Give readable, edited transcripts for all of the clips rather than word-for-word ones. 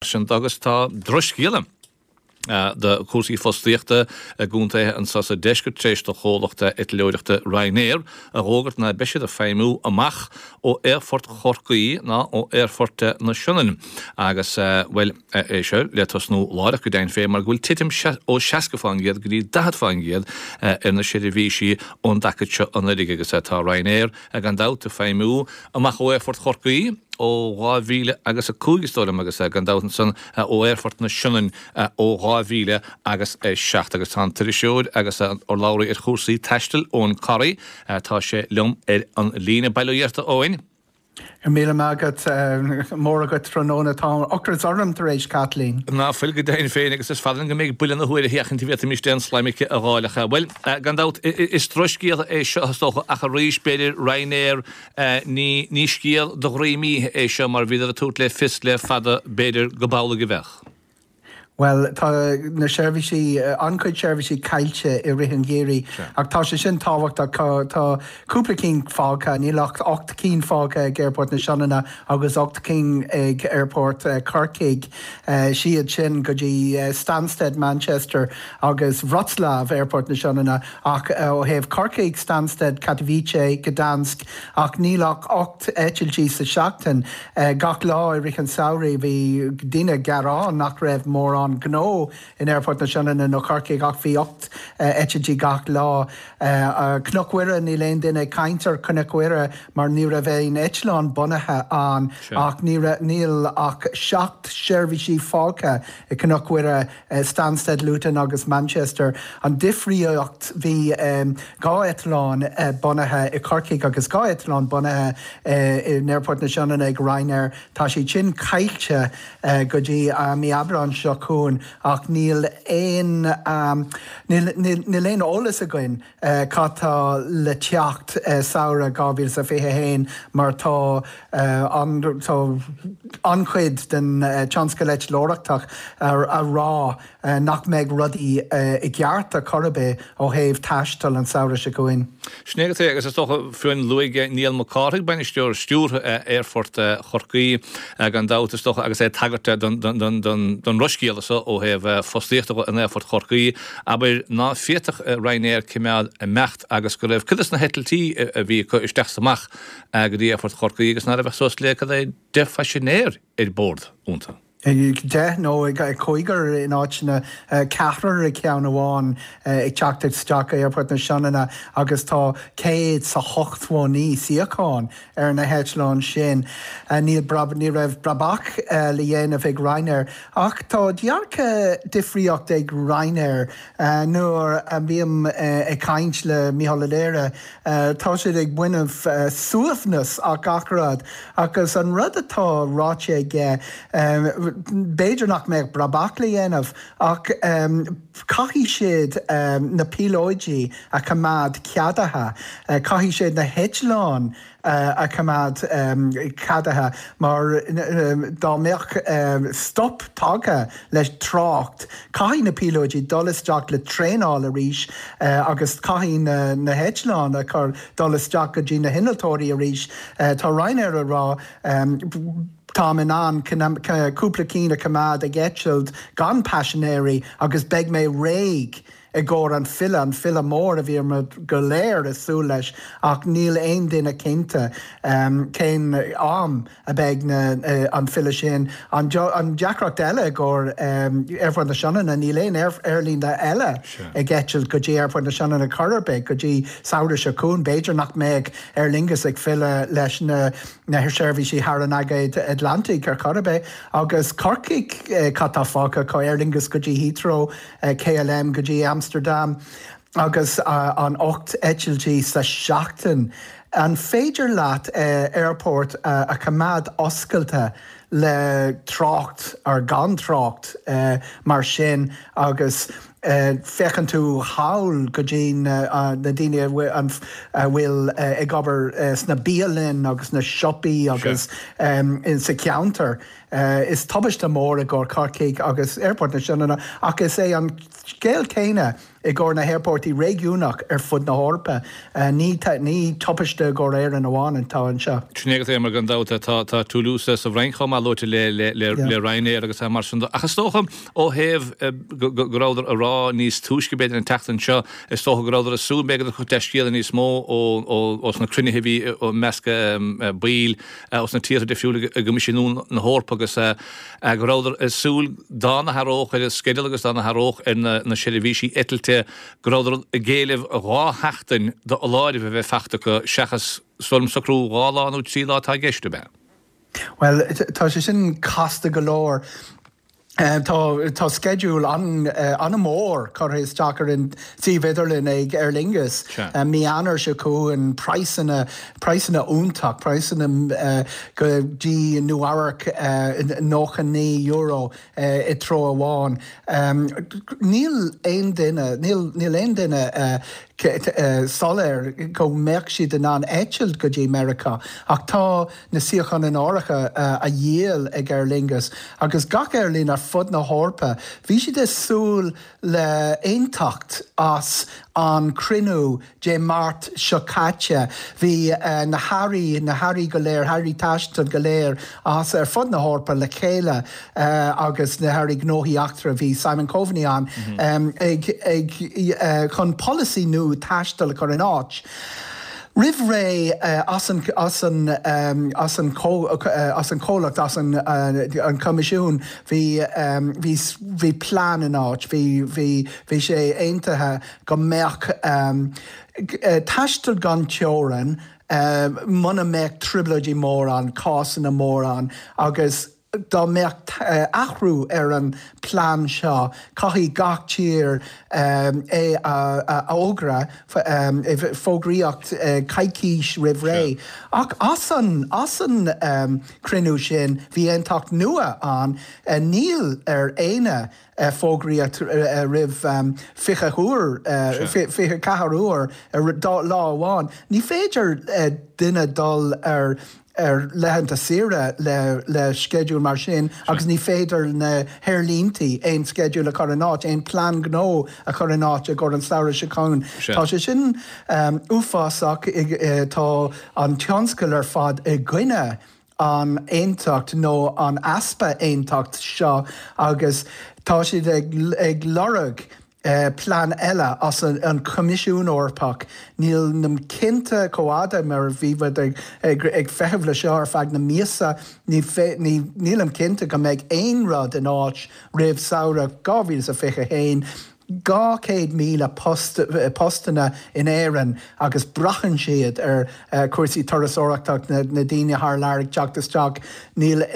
Sin agus tá drochscéala do chúrsaí fostaíochta i gcontaetha anseo sa deisceart tar éis do chomhlacht eitleoireachta Ryanair a dh'fhógairt ná beidh siad ag feidhmiú amach ó Aerfort Chorcaí ná ó Aerfort na Sionainne agus, bhuel, é seo le tosnú láithreach go deimhin féin mar go bhfuil titim ó 60% go dtí 40% ar na seirbhísí ón dtaca seo anuraidh agus tá Ryanair gan dabht ag feidhmiú amach ó Aerfort Chorcaí. ó 2000 agus 5 is dóigh liom agus gan dabht ansan ó Aerfort na Sionainne ó 2000 agus 7 agus tá an t-iriseoir agus an urlabhraí ar chúrsaí taistil Eoin Corry, tá sé liom ar an líne. Bail ó Dhia ort a Eoin. Go raibh míle maith agat, mór agat tráthnóna, tá ocras orm tar éis Caitlín. Ná fuil go deimhin féin agus is fada linn go mbeidh buille na huaire a sheachaint a bhféadfaimis aon slaimice a dh'fháil ach, bhuel, gan dabht is drochscéal é seo is dócha ach arís b'fhéidir Ryanair Ní, ní scéal do dhroim oíche é seo mar bhíodar ag tabhairt le fios le fada b'fhéidir go b'amhlaidh a bheadh. Bhuel, tá na seirbhísí, an-chuid seirbhísí caillte i rith an gheimhridh ach tá sé sin tábhachtach. Tá cúpla cinn fágtha, níl ach 8 cinn fágtha ag Aerfort na Sionainne agus 8 cinn ag Aerfort Chorcaigh. Siad sin go dtí Stansted, Manchester agus Wroclaw, Aerfort na Sionainne. Ach ó thaobh Corcaigh, Stansted, Katowice, Gdansk, ach níl ach 8 eitiltí sa seachtain. Gach lá i rith an samhraidh bhí daoine ag gearán nach raibh mórán gnó in Aerfort na Sionainne nó Corcaigh ach bhí 8 eitiltí gach lá. Cnoc Mhuire, níl aon duine ag caint ar Chnoc Mhuire mar ní raibh aon eitleán bunaithe ann ach níl ach 7 seirbhísí fágtha i Cnoc Mhuire. Stansted, Luton agus Manchester. An difríocht, bhí 2 eitleán bunaithe i Corcaigh agus 2 eitleán bunaithe in Aerfort na Sionainne ag Ryanair. Tá siad sin caillte go dtí mí Aibreáin seo chugainn ach níl aon níl aon eolas againn cad tá le teacht samhradh 2021 mar tá tá an-chuid den tionscal eitleoireachtach a rá nach mbeidh rudaí i gceart ar chor ar bith ó thaobh taistil an samhradh seo chugainn. Sin é agat é agus is dócha fiú luaigh Niall Mac Cárthaigh, Bainisteoir Stiúrtha Aerfort Chorcaí, gan dabht is dócha agus é ag tagairt don drochscéala so ó thaobh fostaíochta in Aerfort Chorcaí, abair ná féadfadh Ryanair cimeád imeacht agus go raibh cuid de na heitiltí a bhí acu isteach is amach go dtí Aerfort Chorcaí agus ná raibh ach suas le cad é 10 phaisinéir ar bord iontu. 10 nó cúigear in áiteanna, ceathrar i gceann amháin ag teacht isteach go Aerfort na Sionainne agus tá 189 suíochán ar na heitleáin sin. Níl ní raibh brabach le dhéanamh ag Ryanair ach tá dearcadh difríocht ag Ryanair. Nuair a bhím ag caint le Mícheál Ó Laoire tá siad ag baineamh suaimhneas as gach rud agus an rud atá ráite aige b'fhéidir nach mbeadh brabach le dhéanamh ach caithfidh siad na píolóidí a choimeád ceadaithe, caithfidh siad na heitleáin a choimeád ceadaithe mar dá mbeadh stop tagtha le trácht, caithfidh na píolóidí dul isteach le traenáil arís agus caithfidh na heitleáin a chur dul isteach go dtí na hinnealtóirí arís. Tá Ryanair a rá táim in ann cúpla cinn a choimeád ag eitilt gan paisinéirí agus beidh mé réidh i gcomhair an filleadh, an filleadh mór a bhí go léir ag súil leis ach níl aon duine cinnte cén am a beidh an filleadh sin. An deacracht eile i gcomhair Aerfort na Sionainne, níl aon aerlíne eile ag eitilt go dtí Aerfort na Sionainne chor ar bith go dtí samhradh seo chugainn. B'fhéidir nach mbeadh Aer Lingus ag filleadh leis na seirbhísí thar an Aigéad Atlantaigh ar chor ar bith. Agus Corcaigh, cad tá fágtha acu? Aer Lingus go dtí Heathrow. KLM go dtí Amsterdam agus an 8 eitiltí sa seachtain. An féidir leat aerfort a choimeád oscailte le trácht or gan trácht mar sin agus féachann tú thall go dtí na daoine a bhfuil ag obair sna bialanna agus na siopaí agus sa cheantar. Is tubaiste mór i gcomhair Corcaigh agus Aerfort na Sionainne ach is é an scéal céanna i gcomhair na haerphortaí réigiúnach ar fud na hEorpa. Ní ní tubaiste i gcomhair Éireann amháin atá anseo. Sin é agat é mar gan dabht tá tá Toulouse sa bhFrainc chomh maith luaite le le le le Ryanair agus mar sin de. Ach is dócha ó thaobh go go rabhadar a rá níos túisce b'fhéidir an tseachtain seo is dócha go rabhadar ag súil b'fhéidir go dtiocfadh dea-scéala níos mó ó ó ós na cruinnithe a bhí i measc baill ós na tíortha difriúla i gCoimisiún na hEorpa agus go rabhadar ag súil dá n-athródh ar an sceideal agus dá n-athródh ar na seirbhísí eitilte go rabhadar ag éileamh 2 sheachtain d'fholáireamh a bheith fachta acu seachas is dóigh liom socrú 2 lá nó 3 lá atá i gceist, ab ea? Bhuel, tá sé sin casta go leor. Tá tá sceideal an-mhór curtha isteach ar an suíomh idirlín ag Aer Lingus mí Eanáir seo chugainn, praghsanna, praghsanna iontach, praghsanna go dtí Nua Eabhrac €99 i dtreo amháin. Níl aon duine, níl níl aon duine soiléir go mbeadh siad in ann eitilt go dtí Meiriceá ach tá na suíocháin in áirithe a dhíol ag Aer Lingus agus gach aerlíne ar fud na hEorpa. Bhí siad ag súil le aontacht as an cruinniú Dé Máirt seo caite. Bhí na hairí, na hairí go léir, hairí taistil go léir as ar fud na hEorpa le chéile agus na hairí gnóthaí eachtra, bhí Simon Coveney ann, ag, ag, chun polasaí nua taistil a chur in áit. Roimh ré as an as an as an as an chomhlacht, as an an Coimisiún, bhí bhí bhí plean in áit, bhí bhí bhí sé aontaithe go mbeadh taisteal gan teorainn muna mbeadh trioblóidí mór ann, cásanna mór ann agus Dá mbeadh athrú ar an plean seo, caithfidh gach tír é a fhógra, fógraíocht coicís roimh ré. Ach as an as an cruinniú sin, bhí aontacht nua ann, níl ar éinne fógraíocht roimh 20 uair, 24 uair ar lá amháin. Ní féidir duine dul ar ar laethanta saoire le le sceideal mar sin agus ní féidir na haerlíntí aon sceideal a chur in áit, aon plean gnó a chur in áit i gcomhair an samhradh seo chugainn. Tá sé sin uafásach, tá an tionscal ar fad i gcoinne an aontacht nó an easpa aontacht seo agus tá siad ag ag lorg plean eile as an Choimisiún Eorpach. Nílim cinnte chomh fhada mar bhí muid ag feitheamh le seo ar feadh na míosa, nílim cinnte go mbeidh aon rud in áit roimh samhradh 2021. 200,000 post, postanna in Éirinn agus braitheann siad ar chúrsaí turasóireachta, na daoine thar lear ag teacht isteach. Níl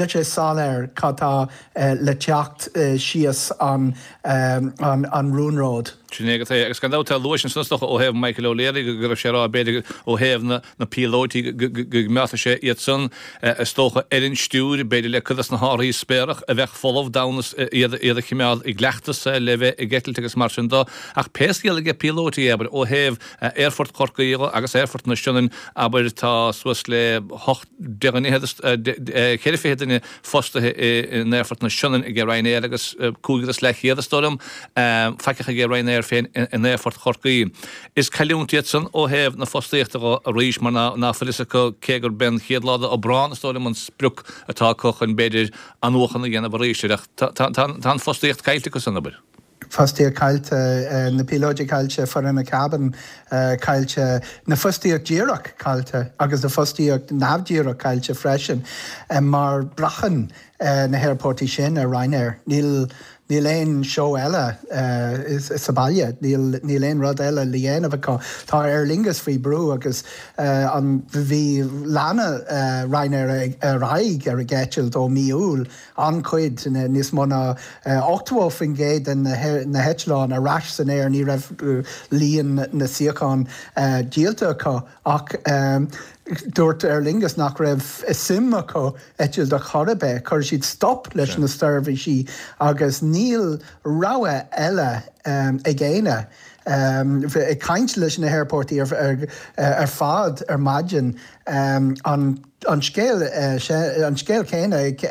sé soiléir cad tá le teacht síos an an rúnród. Sin é agat é. Agus gan dabht tá luais ansan is dócha ó thaobh Michael O'Leary go raibh sé ag rá b'fhéidir ó thaobh na na píolóití go gcoimeádfadh sé iad san is dócha ar an stiúir b'fhéidir le cuid des na hárthaí spéarach a bheadh folamh d'fhonn iad iad a chimeád i gcleachtas le bheith ag eitilt agus mar sin do. Ach pé scéal aige píolóití abair ó thaobh Aerfort Chorcaí agus Aerfort na Sionainne abair tá suas le 8 de cheithre fichid duine fostaithe in Aerfort na Sionainne ag Ryanair agus cúigear is leathchéad, is dóigh liom, faiceach ag Ryanair féin in Aerfort Chorcaí. Is cailliúint iad san ó thaobh na fostaíochta dho arís mar ná fuil fhios acu cé gurb é an chéad lá d'Aibreán, is dóigh liom, an sprioc atá acu chun b'fhéidir athnuachan a dhéanamh arís air. Ach tá an fostaíocht caillte acu san, abair. Fostaíocht caillte, na píolóidí caillte, foireann na cabin caillte, na fostaíocht díreach caillte agus na fostaíocht neamhdhíreach caillte freisin mar braitheann na haerportaí sin ar Ryanair. Níl níl aon seó eile sa baile, níl níl aon rud eile le dhéanamh acu. Tá Aer Lingus faoi brú agus an bhí lean Ryanair ar aghaidh ar a gceitilt ó mí Iúil an-chuid, níos mó ná 80% de na heitleáin ar ais san aer, ní raibh líon na suíochán díolta acu ach dúirt Aer Lingus nach raibh suim acu eitilt ar chor ar bith. Chuir siad stop leis na seirbhísí agus níl rogha eile ag éinne. Ag caint leis na haerportaí ar fad ar maidin, an scéal an scéal céanna ag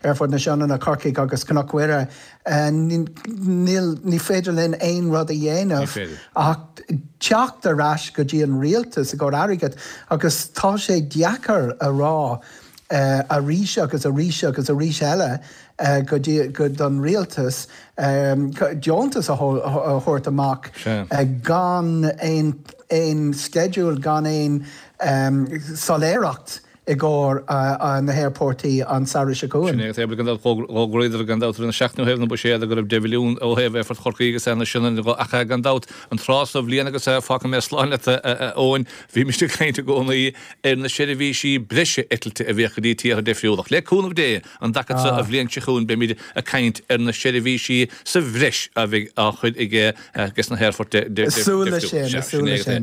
Aerfort na Sionainne, Corcaigh agus Cnoc Mhuire, níl, ní féidir linn aon rud a dhéanamh ach teacht ar ais go dtí an rialtas i gcomhair airgead agus tá sé deacair a rá arís agus arís agus arís eile go dtí go don rialtas deontas a thabhairt amach gan aon aon sceideal gan aon soiléireacht i gcomhair na haerportaí an samhradh seo chugainn. Sin é agus gan dabht d'fhógraíodar gan dabht ar an seachtain ó thaobh na buiséad go raibh 10 mhilliún ó thaobh Aerfort Chorcaí agus na Sionainne de ach gan dabht an tráth sa bhliain agus fágfaidh mé slán leat a Eoin bhímist ag caint i gcónaí ar na seirbhísí breise eitilte a bhíodh go dtí tíortha difriúla. Ach le cúnamh Dé, an dtaca seo an bhliain seo chugainn beimid ag caint ar na seirbhísí sa bhreis a bheidh á chur ag ages na haerfoirt difriúla. Súil leis sin, súil leis sin.